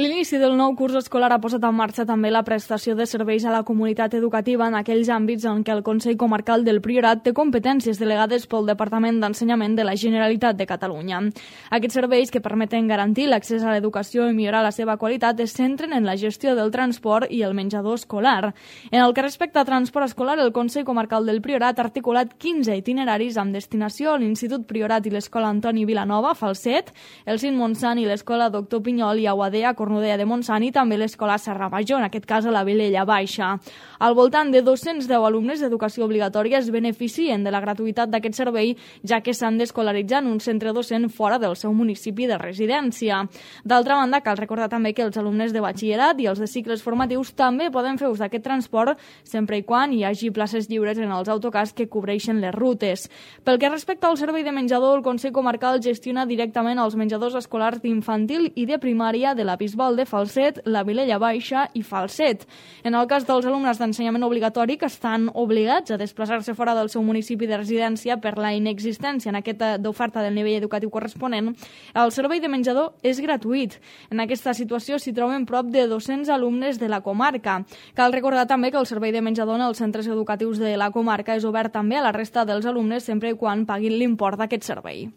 L'inici del nou curs escolar ha posat en marxa també la prestació de serveis a la comunitat educativa en aquells àmbits en què el Consell Comarcal del Priorat té competències delegades pel Departament d'Ensenyament de la Generalitat de Catalunya. Aquests serveis, que permeten garantir l'accés a l'educació i millorar la seva qualitat, es centren en la gestió del transport i el menjador escolar. En el que respecta a transport escolar, el Consell Comarcal del Priorat ha articulat 15 itineraris amb destinació a l'Institut Priorat i l'Escola Antoni Vilanova, Falset, el CIN Montsant i l'Escola Doctor Pinyol i Aguadea, Cornudella de Montsant, i també l'Escola Serra Major, en aquest cas a la Vilella Baixa. Al voltant de 210 alumnes d'educació obligatòria es beneficien de la gratuïtat d'aquest servei, ja que s'han d'escolaritzar en un centre docent fora del seu municipi de residència. D'altra banda, cal recordar també que els alumnes de batxillerat i els de cicles formatius també poden fer ús d'aquest transport sempre i quan hi hagi places lliures en els autocars que cobreixen les rutes. Pel que respecta al servei de menjador, el Consell Comarcal gestiona directament els menjadors escolars d'infantil i de primària de la Bisbal de Falset, la Vilella Baixa i Falset. En el cas dels alumnes d'ensenyament obligatori que estan obligats a desplaçar-se fora del seu municipi de residència per la inexistència en aquesta d'oferta del nivell educatiu corresponent, el servei de menjador és gratuït. En aquesta situació s'hi troben prop de 200 alumnes de la comarca. Cal recordar també que el servei de menjador en els centres educatius de la comarca és obert també a la resta dels alumnes sempre i quan paguin l'import d'aquest servei.